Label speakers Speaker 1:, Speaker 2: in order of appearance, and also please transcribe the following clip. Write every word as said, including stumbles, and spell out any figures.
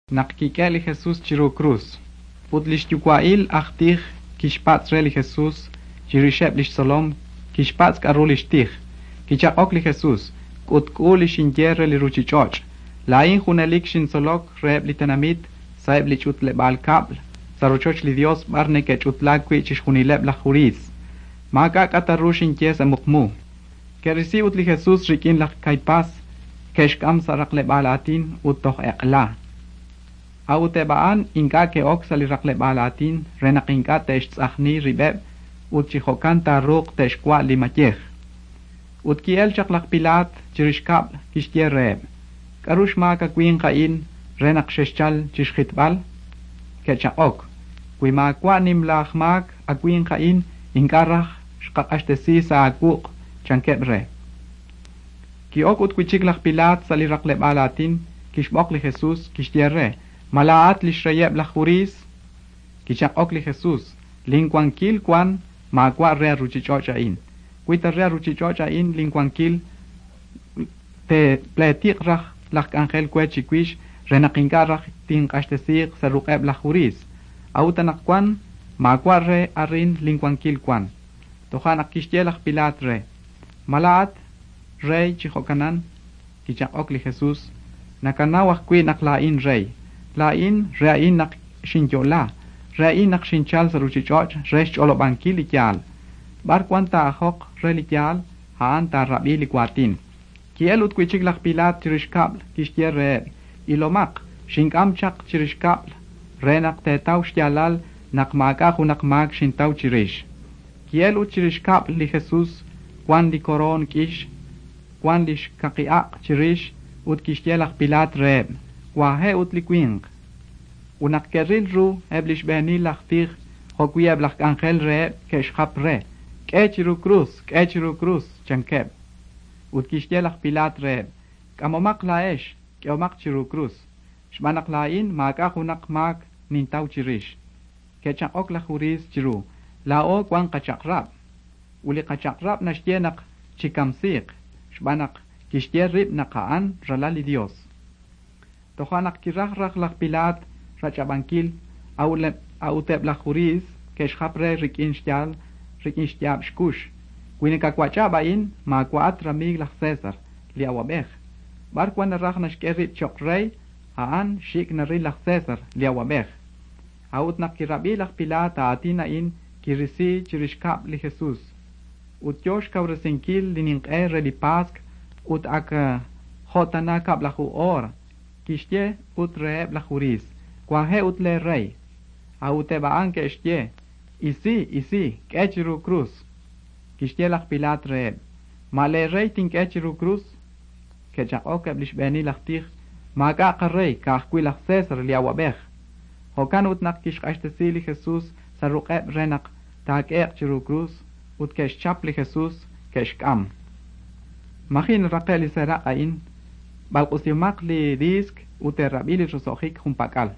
Speaker 1: Naq kik'e li Jesús chiru krus. Ut li xyuwa'il aj tij kixpatz' re li Jesús chirixeb' li xtzolom, kixpatz' k'aru li xtij. Kichaq'ok li Jesús: K'utk'u li xinye re li ruuchich'och'. Laa'in junelik xintzolok reheb' li tenamit sa'eb' li ch'utleb'aal kab'l, sa' rochoch li Yos b'ar neke'ch'utlaak wi' chixjunileb' laj Judiiy. Maak'a' k'a ta ru xinye sa' muqmu. Ke'risi ut li Jesús rik'in laj Kaipás, ke'xk'am sa' raqleb'aal aatin ut toj eq'la. A'ut eb' a'an ink'a' ke'ok sa' li raqleb'aal aatin re naq ink'a' te'xtz'ajni rib'eb' ut chi jo'kan taaruuq te'xwa' li mayej. Ut ki'el chaq laj Pilaat chirix kab'l kixye reheb': K'aru xmaak awinq a'in re naq xexchal chi xjitb'al? Ke'chaq'ok: Wi maawa' nimla aj maak awinq a'in, ink'a' raj xqaq'axtesi sa' aawuq', chankeb' re. Ki'ok ut wi' chik laj Pilaat sa' li raqleb'aal aatin, kixb'oq li Jesús, kixye re: Ma laa'at li xreyeb' laj Judiiy? Kichaq'ok li Jesús: Linwankil wan maawa' re ruuchich'och' a'in. Wi ta re ruuchich'och' a'in linwankil, te'pleetiq raj laj k'anjel we chiwix re naq ink'a' raj tinq'axtesiiq sa' ruq'eb' laj Judiiy. A'ut anaqwan maawa' re arin linwankil wan. Toja' naq kixye laj Pilaat re: Ma laa'at rey chi jo'kanan? Kichaq'ok li Jesús: Nakanaw ajwi' naq laa'in rey. Laa'in re a'in naq xinyo'la, re a'in naq xinchal sa' ruuchich'och' re xch'olob'ankil li yaal. B'ar wan taa'ajoq re li yaal, a'an taarab'i li waatin. Ki'el ut wi' chik laj Pilaat chirix kab'l, kixye reheb': Ilomaq, xink'am chaq chirix kab'l re naq teetaw xyaalal naq maak'a' junaq maak xintaw chirix. Ki'el ut chirix kab'l li Jesús wan li koroon k'ix, wan li xkaqi'aq chirix ut kixye laj Pilaat reheb': Wahe' ut li winq. Ut naq ke'ril ru eb' li xb'eenil laj tij jo'wi' eb' laj k'anjel reheb' ke'xjap re: K'e chiru krus, k'e chiru krus, chankeb'. Ut kixye laj Pilaat reheb': K'amomaq laa'ex, k'ehomaq chiru krus, xb'aan naq laa'in maak'a' junaq maak nintaw chirix. Ke'chaq'ok laj Judiiy chiru: Laa'o wan qachaq'rab'. Ut li qachaq'rab' naxye naq chikamsiiq, xb'aan naq kixye rib' naq a'an ralal li Dios. Toja' naq kiraj raj laj Pilaat rach'ab'ankil, a'ut eb' laj Judiiy ke'xjap re rik'in xyaal rik'in xyaab' xkux: Wi nakawach'ab' a'in, maawa'at ramiig laj César, li awab'ej. B'ar wan naraj naxk'e rib' cho'q rey, a'an xik' naril laj César, li awab'ej. A'ut naq kirab'i laj Pilaat aatin a'in, kirisi chirix kab'l li Jesús. Ut yo xkawresinkil li ninq'e re li Pask ut ak jo' tana kab'laju oor. Kixye ut reheb' laj Judiiy: Wahe' ut lee rey. A'ut eb' a'an ke'xye: Isi, isi, k'e chiru krus. Kixye laj Pilaat reheb': Ma lee rey tink'e chiru krus? Ke'chaq'ok eb' li xb'eenil laj tij: Maak'a' qarey, ka'ajwi' laj César li awab'ej. Jo'kan ut naq kixq'axtesi li Jesús sa' ruq'eb' re naq taak'e'q chiru krus, ut ke'xchap li Jesús, ke'xk'am. Maji' naraqe' li seeraq' a'in, b'alq'usimaq li diisk ut teerab'i li roso'jik junpak'al.